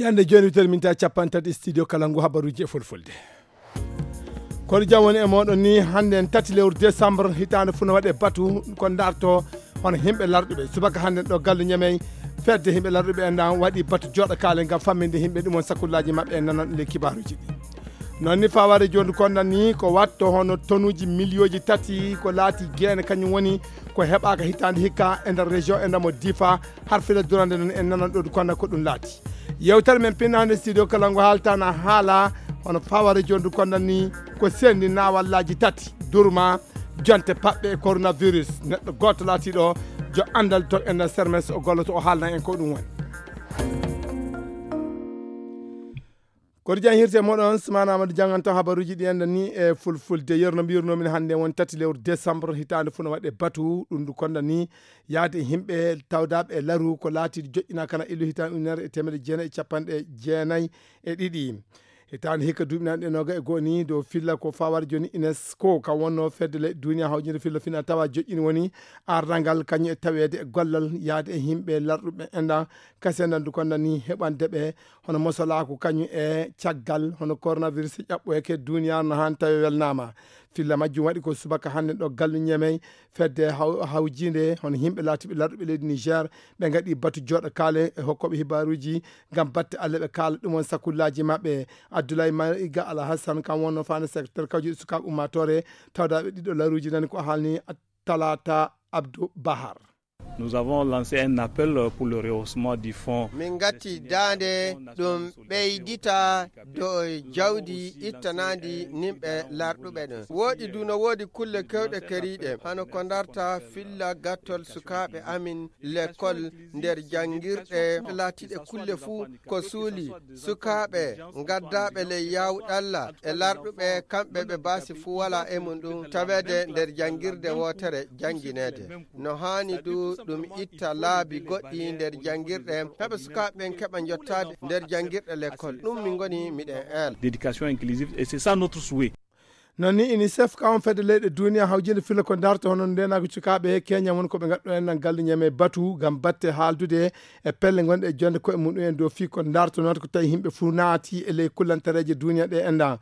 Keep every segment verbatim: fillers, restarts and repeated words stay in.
Hannde jooni witere min ta capanɗe tati studio kala ngu habaruuji e fulfulde. Kono jam woni e mooɗon ni, hannde en tati lewru décembre, hitaande fuu no waɗe batu ko ndarto hono yimɓe larɗuɓe. Subaka hannde ɗo gallu Ñamey, fedde yimɓe larɗuɓe en ɗan waɗi batu jooɗo kaale ngam famminde yimɓe ɗum on sakullaaji maɓɓe en nanan le kibaaruuji ɗi. Noon ni faware jooni kondan ni ko watto hono tonuuji miliyooji tati ko laati geene kañum woni ko heɓaaka hitaande hikka e nder région e ndamo Difa, har fila durande noon en nanan ɗo kondan ko ɗum laati. Yewtere men pinnaande studio kala ngo haaltana haala hono faware jooni kondan ni ko sendi naawallaaji tati durma jonte paɓɓe e coronavirus. Neɗɗo gooto laatiiɗo jo anndal to e nder sermes o golloto o haalna en ko ɗum woni. Koto jan hirte moɗon Sumana Amadou janganto habaruuji ɗi enda ni e fulfulde. Yerno mbirno min hannde won tati lewru décembre hitaande fuu no waɗe batu ɗum ndu konda ni yaade e yimɓe tawdaaɓe e laru ko laatiiɗo joƴƴina kana illu hitaande ujunere e teemedde jeenayi e capanɗe jeenayi e ɗiɗi. Hitaande hikka duuɓi nanɗe noga e goo ni dow filla ko fawar jooni UNESCO kam wonno fedde leyɗe duniya hawjinde filla fina tawa joƴƴini woni ardangal kañum e taweede e gollal yaade e yimɓe larɗuɓe enda kase nandu konda ni heɓande ɓe hono mosolaaku kañum e caggal hono coronavirus e ƴaɓɓoyake duniyaaru no haan tawi welnaama. Filla majjum waɗi ko subaka hannde ɗo gallu Ñamey fedde haw- hawjiinde hono yimɓe laatiiɓe larɗuɓe leydi Niger ɓe ngaɗi batu jooɗo kaale e hokkooɓe hibaaruuji ngam batte alle ɓe kaala ɗum on sakullaaji maɓɓe. Abdoulaye Maiga Alhassan kam wonno faande secteur kawjuɗi sukaaɓe ummaatoore tawdaaɓe ɗiɗo laruuji nani ko haalni Talata Abdou Bahar. Nous avons lancé un appel pour le rehaussement du fonds. Min ngatti daande ɗum ɓeydita dow jawdi ittanaandi nimɓe larɗuɓe ɗum. Woɗi du no woodi kulle kewɗe keriiɗe, hano ko ndarta filla gattol sukaaɓe amin lekkol nder janngirɗe laatiiɗe kulle fuu ko suuli. Sukaaɓe gaddaaɓe ley yawɗalla e larɗuɓe kamɓe ɓe baasi fuu walaa e mum ɗum taweede nder janngirde wootere janngineede. No haani du ɗum itta laabi goɗɗi nder janngirɗe, heɓa sukaaɓe ɓen keɓa njottaade nder janngirɗe lekkol. Ɗum min ngoni miɗen eela. D'éducation inclusive, et c'est ça notre souhait. Noon ni UNICEF ka on fedde leyɗe duniya hawjinde filla ko darto hono ndenaako cukaaɓe Kenya woni ko ɓe ngaɗɗo en nan galle ñame batu ngam batte haaldude e pelle gonɗe e jonde koye muɗum en dow fii ko darto noon ko tawi yimɓe fuu naati e ley kullantareeje duniya ɗe enda.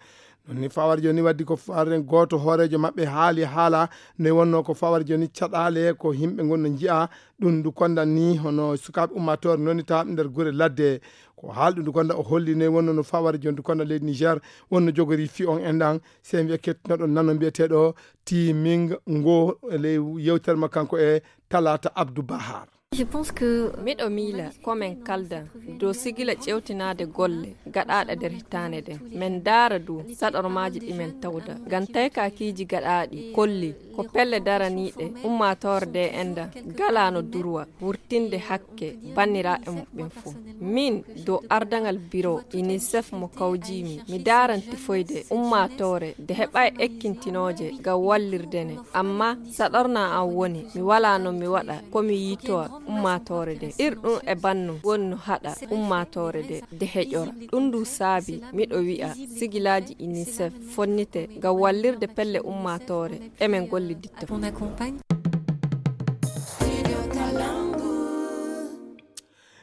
Noon ni fawar jooni waddi ko fawaren gooto hooreejo maɓɓe haali haala ne wonno ko fawar jooni caɗaale ko yimɓe ngonno njiya ɗum ndu kondan ni hono sukaaɓe ummaatoore noni tawa nder gure ladde. Ko haal ɗum ndu konda o holli ne wonno no fawar jooni ndu konda leydi Niger wonno jogori fii on endan. Sey mbiya kettinoɗon nano mbiyeteeɗo Timing ngo e ley yewtere ma kanko e Talata Abdou Bahar. Je pense que miɗo miila ko men kalda dow sigila ƴewtinaade golle gaɗaaɗe nder hitaande ɗen. Men ndaara du saɗormaaji ɗi men tawda. Ngam taykakiiji gaɗaaɗi kolli ko pelle daraniiɗe ummaatoore nde enda galaano durwa wurtinde hakke banniraaɓe muɓɓen fof. Min dow ardangal biro UNICEF mo kawjiimi, mi daaran tifoyde ummaatoore nde heɓaay ekkintinooje ngam wallirde ne. Amma saɗorna an woni mi walaa no mi waɗa ko mi yiitowa ummaatoore nde. Ir ɗum e bannum woni no haɗa ummaatoore nde nde heƴora. Ɗum ndu saabi miɗo wi'a sigilaaji UNICEF fonnite ngam wallirde pelle ummaatoore emen golliditta.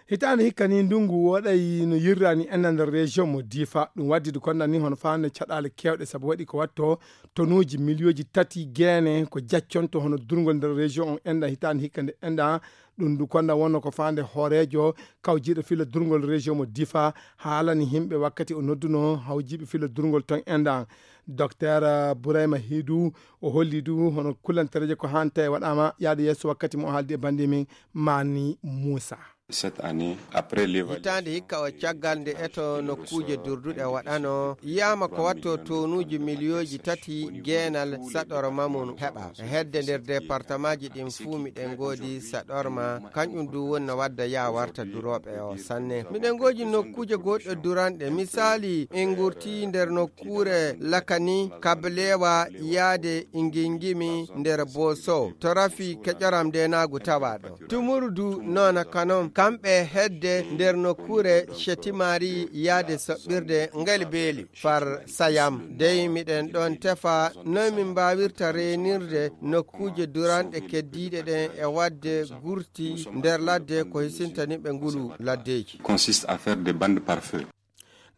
Hitaande hikka ni ndungu woɗay no yirrani enda nder région mo Difa. Ɗum waddi du konda ni hono faande caɗaale kewɗe sabu waɗi ko watto tonuuji miliyooji tati geene ko jacconto hono durngol nder région on enda hitaande hikka nde enda. Ɗum du konda wonno ko faande hooreejo kawjiiɗo filla durngol région mo Difa haalani yimɓe wakkati o nodduno hawjiiɓe filla durngol ton enda. Docteur Burayma Hidu o holli du hono kullantareeje ko haan tawi waɗaama yaade yeeso wakkati mo o haaldi e bannde men Mani Muusa. Cette année, après l'évaluation hitaande hikka o caggal nde eto nokkuuje durduɗe waɗano yiyama ko watto tonuuji miliyooji tati geenal saɗorma mum heɓa. E hedde nder departamaaji ɗin fuu miɗen ngoodi saɗorma, kañum du woni no wadda yaa warta durooɓe o sanne. Miɗen ngoodi nokkuuje goɗɗe duranɗe, misaali en ngurti nder nokkuure Lakani, Kablewa, yaade Ingingimi nder Boso. To rafi keƴoram ndenaagu tawaaɗo. Tumuru du noona kanon kamɓe hedde nder nokkuure Chetimari yaade soɓɓirde ngel beeli far Sayam. Dey miɗen ɗon tefa noy min mbaawirta reenirde nokkuuje duranɗe keddiiɗe ɗen e waɗde gurti nder ladde ko hisintani ɓe ngulu laddeeji. Consiste à faire des bandes par feu.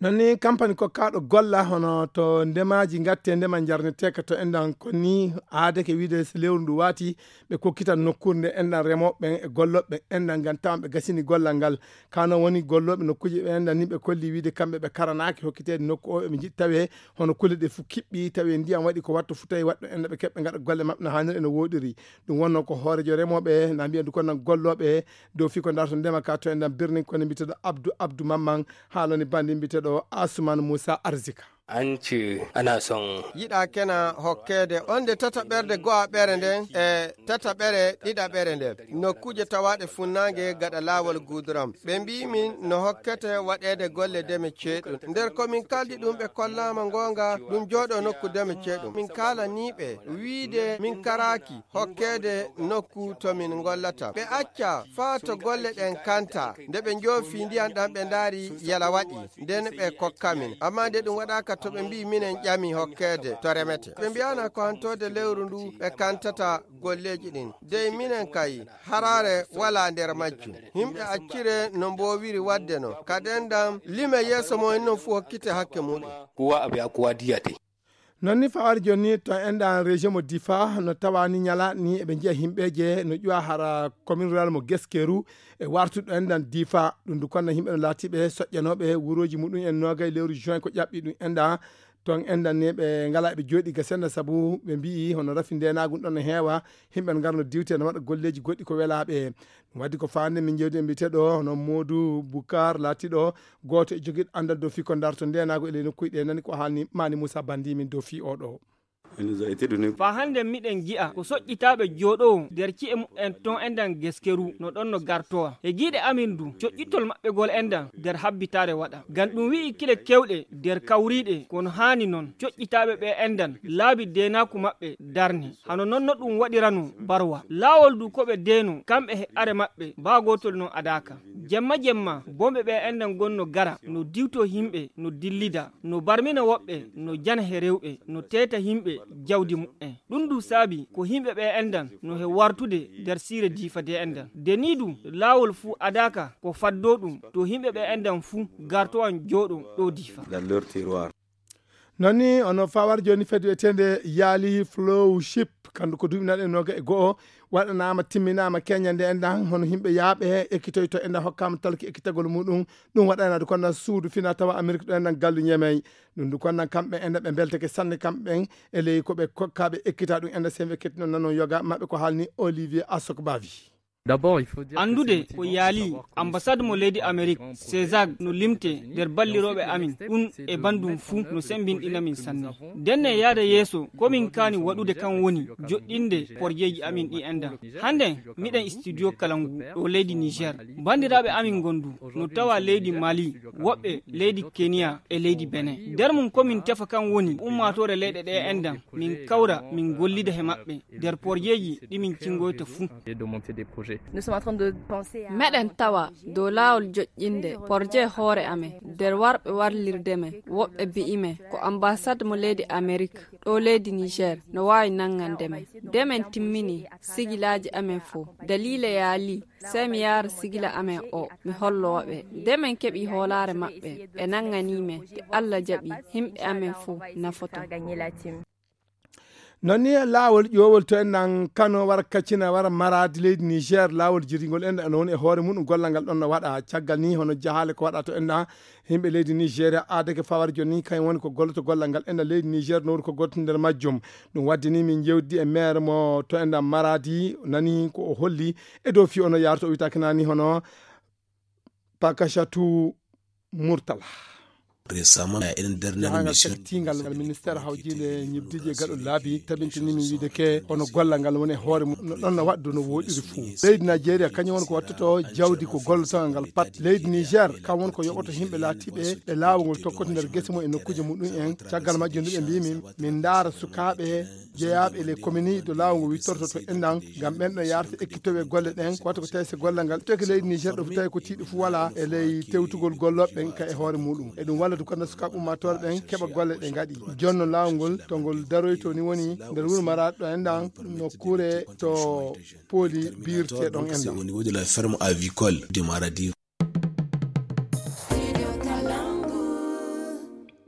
Non ni kampani kokkaaɗo golla hono to ndemaaji ngatte ndema njarneteeka to enɗan ko ni aadeke wiide so lewru ndu waati ɓe kokkitan nokkuure nde enɗan remooɓe ɓen e gollooɓe ɓen enɗan ngam tawan ɓe gasini gollal ngal. Kano woni gollooɓe nokkuuje ɓe enɗan ni ɓe kolli wiide kamɓe ɓe karanaaki hokkiteede nokku o ɓe njiɗi tawe hono kulle ɗe fof kiɓɓi tawi ndiyam waɗi ko wattu fof tawi waɗɗo enɗan ɓe keɓɓe ngaɗa golle maɓɓe no haaniri eno wooɗiri. Ɗum wonno ko hooreejo remooɓe na mbiya ndu ko nan gollooɓe dow fii ko ndarto ndema ka to enɗan birni kono mbiyeteeɗo Abdou Abdou Mamman haalani bandi mbiyeteeɗo Asuman Moussa Arzika. An ce ana son yiɗa kena hokkeede on nde tataɓerde go'aɓere nden e tataɓere ɗiɗaɓere nden nokkuuje tawaaɗe funnaange gaɗa laawol guuduram. Ɓe mbii min no hokkete waɗeede golle deme ceeɗum. Nder ko min kaldi ɗum ɓe kollaama ngoonga ɗum jooɗo nokku deme ceeɗum. Min kaalanii ɓe wiide min karaaki hokkeede nokku to min ngollata. Ɓe acca faa to golle ɗen kanta. Nde ɓe njoofi ndiyan ɗan ɓe ndaari yala waɗi. Nden ɓe kokka min. Ammaa nde ɗum waɗaaka to ɓe mbii minen ƴami hokkeede to remete. Ɓe mbiyaana ko hantoode lewru ndu ɓe kantata golleeji ɗin. Dey minen kay, haraare walaa nder majjum. Himɓe accire no mboowiri waɗde non. Kaden ɗam lime yeeso mon non fuu hokkite hakke muɗum. Kuwa aɓe a kuwa diyate. Non ni fawar jonni to enɗan région mo Difa no tawani ñala ni eɓe njiya himɓeje no ƴuwa hara commune rural mo Geskeru e wartuɗo enɗan Difa ɗum du konna himɓe no laatiɓe soƴƴanoɓe wuroji muɗum en nogay lewru juin ko ƴaɓɓi ɗum enɗan ton enɗan ni ɓe ngala ɓe jooɗi ga senna sabu ɓe mbi'i hono rafi ndenagu ɗon no heewa himɓe no ngarno diwte no waɗa golleji goɗɗi ko welaɓe. Ɗum waddi ko faande min jewdi e mbiyeteɗo hono Modou Boucar laatiɗo gooto e jogiiɗo anndal dow fii ko ndarto ndeenaagu e ley nokkuuji ɗe nani ko haalni Mani Moussa Bandi min dow fii oɗo. Fa hannde miɗen ngi'a ko soƴƴitaaɓe jooɗoowo nder ci'e muɓɓen ton enɗan Geskeru no ɗon no gartowa e giiɗe amin du coƴƴitol maɓɓegol enɗan nder habbitaare waɗa ngam ɗum wi'i kile kewɗe nder kawriiɗe kono haani noon coƴƴitaaɓe ɓe enɗan laabi deenaaku maɓɓe darne hano noon no ɗum waɗirano barwa laawol du ko ɓe deeno kamɓe he are maɓɓe baa gootol noon adaaka. Jemma jemma bomɓe ɓe enɗan gonno gara no diwto himɓe no dillida no barmina woɓɓe no jana he rewɓe no teeta himɓe jawdi muɓɓen. Ɗum du saabi ko himɓe ɓe enɗan no he wartude nder siire Diifa de enɗan de ni du laawol fuu adaaka ko faddo ɗum to himɓe ɓe enɗan fuu gartowan jooɗo ɗo Diifa. Non ni ono fawar joni fedde wi'eteende Yaali Flowship kandu ko duuɓi naɗe noga e go'o waɗanaama timminaama keñande enɗan hono himɓe yaaɓe ekkitoyto enɗan hokkaama talki ekkitagol muɗum. Ɗum waɗanaade konnan suudu fina tawa Amerik ɗo enɗan gallu ñemey ɗum du konnan kamɓe enɗan ɓe mbelteke sanne kamɓe ɓen e ley ko ɓe kokkaaɓe ekkita ɗum enɗan sembe kettino nanon yoga maɓɓe ko haalni Olivier Asok Bavi. Anndude ko yaali ambassade mo leydi Amerik César no limte nder ballirooɓe amin ɗum e banndum fuu no semmbinɗina min sanne. Ndenne yaada yeeso ko min kaani waɗude kan woni joɗɗinde porjeeji amin ɗi enda. Hannden miɗen studio kala ngu ɗo leydi Niger. Banndiraaɓe amin ngondu no tawa leydi Mali, woɓɓe leydi Kenya e leydi Benin. Nder mum ko min tefa kan woni ummaatoore leyɗe ɗe endan min kawra min gollida he maɓɓe nder porjeeji ɗi min cingoyta fuu. Meɗen tawa dow laawol joƴƴinde porjee hoore amen nder warɓe warlirde men woɓɓe bi'i men ko ambassade mo leydi Amerik ɗo leydi Niger no waawi nanngande men. Nde men timmini sigilaaji amen fow daliila yaalii sey mi yaara sigila amen o mi hollo ɓe. Nde men keɓi hoolaare maɓɓe ɓe nannganii men nde Alla jaɓi himɓe amen fow nafoto. Non ni laawol ƴoowol to enɗan Kano wara Katsina wara Maradi leydi Niger laawol jirgingol enɗan no woni e hoore mum gollal ngal ɗon no waɗa caggal ni hono jahaale ko waɗa to enɗan yimɓe leydi Nigeria aadake fawar joni ni kañum woni ko golloto gollal ngal enɗan leydi Niger no woni ko goto nder majjum. Ɗum waddi ni min jewdi e maire mo to enɗan Maradi nani ko o holli e dow fi ono yarto o witaki nani hono Pakashatu Murtala. Récemment, il y a une dernière mission. Jahangal cakkitingal ngal ministère hawjinde ñibdiji e gaɗo laabi tabintinimi wiide ke hono gollal ngal woni e hoore mum no ɗon no waɗdu no woɗiri fuu. Leydi Nigeria kañum woni ko wattoto jawdi ko gollotongal ngal pat. Leydi Niger kam woni ko yoɓoto yimɓe laatiɓe ɓe laawol ngol tokkoto nder gese mum e nokkuuje muɗum en. Caggal majjum ndu ɓe mbimi min ndaara sukaaɓe jeyaaɓe e ley komini to laawol ngol wittorto to enɗan ngam ɓen ɗo yarta ekkitowe golle ɗen. Ko wata ko tawi so gollal ngal toki leydi Niger ɗo fu tawi ko tiiɗo fu wala e ley tewtugol gollooɓe ɓen ka e hoore muɗum. E ɗum walla du kanda sukaaɓe ummaatoore ɓen keɓa golle ɗe ngaɗi. Jonno laawol ngol to ngol daroyto ni woni nder wuro maraɗo enɗan nokkure to pooli birte ɗon enɗan. Au niveau de la ferme avicole de Maradi.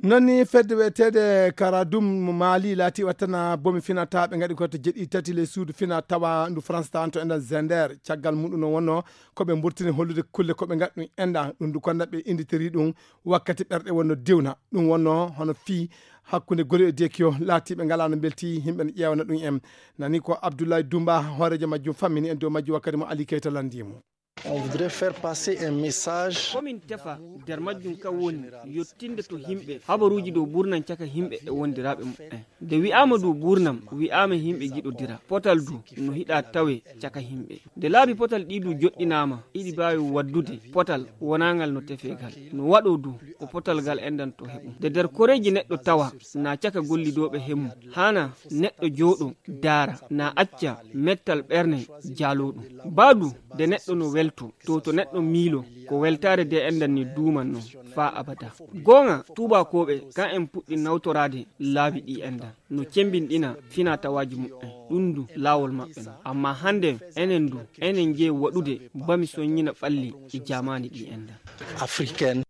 Non ni fedde wiyeteede Karadum mo Mali laati wattana bomi finataɓe ngaɗi ko to jeɗɗi tati ley suudu fina tawa ndu France tan to enɗan Zender. Caggal muɗum no wonno ko ɓe mburtini hollude kulle ko ɓe ngaɗi ɗum enɗan ɗum du konda ɓe inditiri ɗum wakkati ɓerɗe wonno dewna. Ɗum wonno hono fii hakkunde goli e dekiyo laatiɓe ngalano belti yimɓe no ƴeewana ɗum en. Nani ko Abdoulaye Dumba hoorejo majjum fammini en dow majjum wakkati mo Ali Keita landimo. On voudrait faire passer un message. Komin tefa nder majjum kan woni yottinde to yimɓe habaruuji dow burnam caka yimɓe e wondiraaɓe muɓɓen. Nde wi'aama dow burnam wi'aama yimɓe ngiɗodira potal du no hiɗa tawe caka yimɓe. Nde laabi potal ɗi du joɗɗinaama iɗi mbaawi waddude potal wonaangal no tefeegal no waɗo du ko potal ngal enɗan to heɓum. Nde nder koreeji neɗɗo tawa na caka gollidooɓe hemmu haana neɗɗo jooɗo daara na acca mettal ɓerne jaaloo ɗum. Baadu nde neɗɗo no welto to to neɗɗo miilo ko weltaare de enɗan ni duuman non faa abada. Goonga tuubakooɓe kan en puɗɗi nawtoraade laabi ɗi enɗan no cembinɗina finatawaaji muɓɓen ɗum du laawol maɓɓe non. Amma hannde enen du enen njeyi waɗude bami soññina ɓalli e jaamaani ɗi enɗan. Africaine.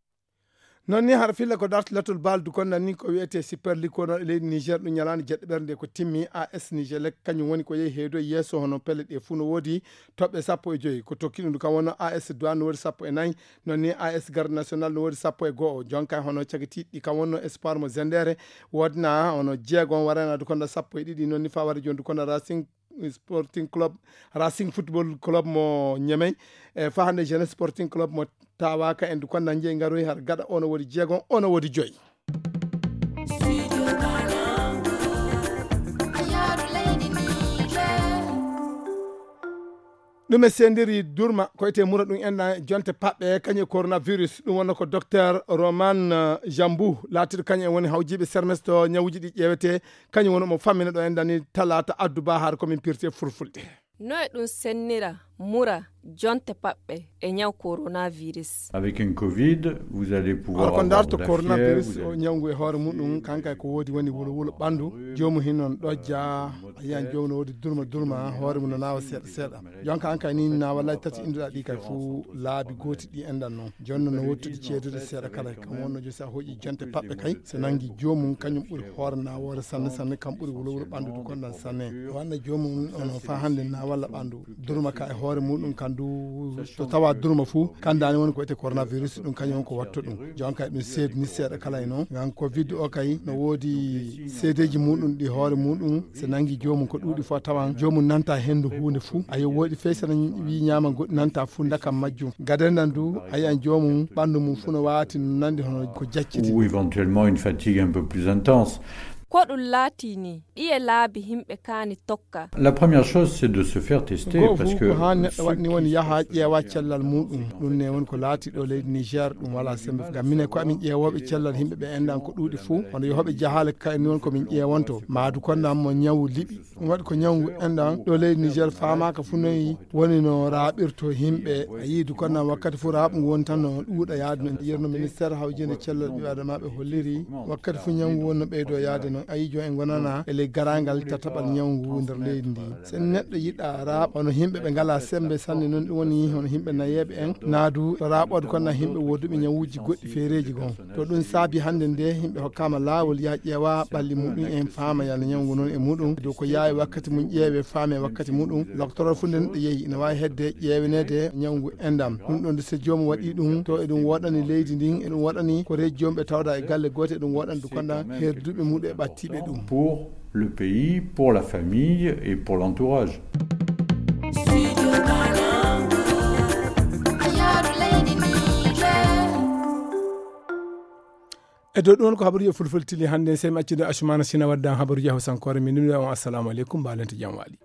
Non ni har filla ko darti lattol bal du konda ni ko wiyete Super League ko ɗon e leydi Niger ɗum ñalaande jeɗɗo ɓernde ko timmi. A S Niger lek kañum woni ko yehi heedo yeeso hono pelle ɗe fuu no woodi toɓɓe sappo e joyi ko tokki ɗum du kam wonno A S Douane no woodi sappo e nayi. Non ni A S Garde National no woodi sappo e go'o jonka hono cagitiiɗi kam wonno Espoir mo Zendere woodna hono jeegon warana du konda sappo e ɗiɗi non ni fa wari jon du konda Racing Sporting Club, Racing Football Club mo Ñemey, e fahande Jeunesse Sporting Club mo Tawaka en du konda njeyi ngaroyi har gaɗa ono woodi jeegon ono woodi joyi. Ɗum e sendiri durma ko ete mura ɗum enɗan jonte paɓɓe kañum e coronavirus ɗum wonno ko docteur Roman Jambou laatiɗo kañum en woni hawjiɓe sermes to ñawuji ɗi ƴeewete kañum woni omo fammina ɗo enɗan ni talata addu ba har komin pirte fulfulde. No e ɗum sennira mura jonte paɓɓe e ñaw coronavirus. Avec un covid vous allez pouvoir. Ko ndarto coronavirus o ñawngu e hoore muɗum kanka ko woodi woni wulo wulo ɓandu joomu hin non ɗojja a yiyan joomu no woodi durma durma hoore mum no naawa seeɗa seeɗa. Jonka an kay ni na wallahi tati indoɗa ɗi kay fuu laabi gooti ɗi enɗan non jonno no wottude ceedude seeɗa kala kam wonno jo sa hoƴi jonte paɓɓe kay so nangi joomum kañum ɓuri hoore nawoore sanne sanne kam ɓuri wulowulo ɓandude konɗan sanne. Wanna joomum ono fa hannde na walla ɓandu durma ka e hoore muɗum kan du to tawa durma fuu kandani woni ko ete coronavirus ɗum kañum on ko watto ɗum. Jonka e ɗum seedi ni seeɗa kala e noon ngam covid o kay no woodi seedeji muɗum ɗi hoore muɗum so nangi joomum ko ɗuuɗi fof a tawan joomum nanta henndu huunde fuu. Ayo woɗi fey so wi ñaama goɗɗi nanta fuu ndakam majjum gadandan du a yiyan joomum ɓanndu mum fuu no waati no nandi hono ko jacciti. Ou éventuellement une fatigue un peu plus intense. Ko ɗum laati ni ɗiye laabi himɓe kaani tokka. La première chose c'est de se faire tester parce que ko haa neɗɗo waɗni woni yaha ƴeewa cellal muɗum. Ɗum ne woni ko laati ɗo leydi Niger ɗum wala sembe ngam minen ko amin ƴeewooɓe cellal yimɓe ɓe enɗan ko ɗuuɗi fuu hono yohoɓe jahaale kayni woni ko min ƴeewanto maadu konnan mo ñawu liɓi. Ɗum waɗi ko ñawngu enɗan ɗo leydi Niger faamaaka fuu noyi woni no raaɓirto yimɓe. A yii du konnan wakkati fuu raaɓungu woni tan no ɗuuɗa yaade no yerno ministère hawjinde cellal ɓiɓɓe adamaaɓe holliri wakkati fuu ñawngu woni no ɓeydo yaade noon a yii jooni en ngonana e ley garaangal tataɓal ñawngu nder leydi ndi. So neɗɗo yiɗa raaɓa hono yimɓe ɓe ngalaa semmbe sanne noon ɗum woni hono yimɓe nayeeɓe en naadu raaɓoode konnan yimɓe wooduɓe ñawuuji goɗɗi feereeji goo. To ɗum saabi hannde nde yimɓe hokkaama laawol yaa ƴeewa ɓalli muɗum en faama yalla ñawngu noon e muɗum dow ko yaawi wakkati mum ƴeewe faame wakkati muɗum. Loktoroo fuu nde neɗɗo yehi ina waawi hedde ƴeeweneede ñawngu enɗan ɗum ɗon so joomum waɗi ɗum to eɗum woɗani leydi ndin eɗum woɗani ko reeji joomum ɓe tawda e galle goote eɗum woɗani du konɗan herduɓe muɗum e ɓattiiɓe ɗum. Pour le pays, pour la famille et pour l'entourage. To ɗum woni ko habaruuji fulfulde tili hannde, sey mi accude Asumana Sina waddan habaruuji hawsankoore, min numi on assalamu aleykum, mbaalante jam waali.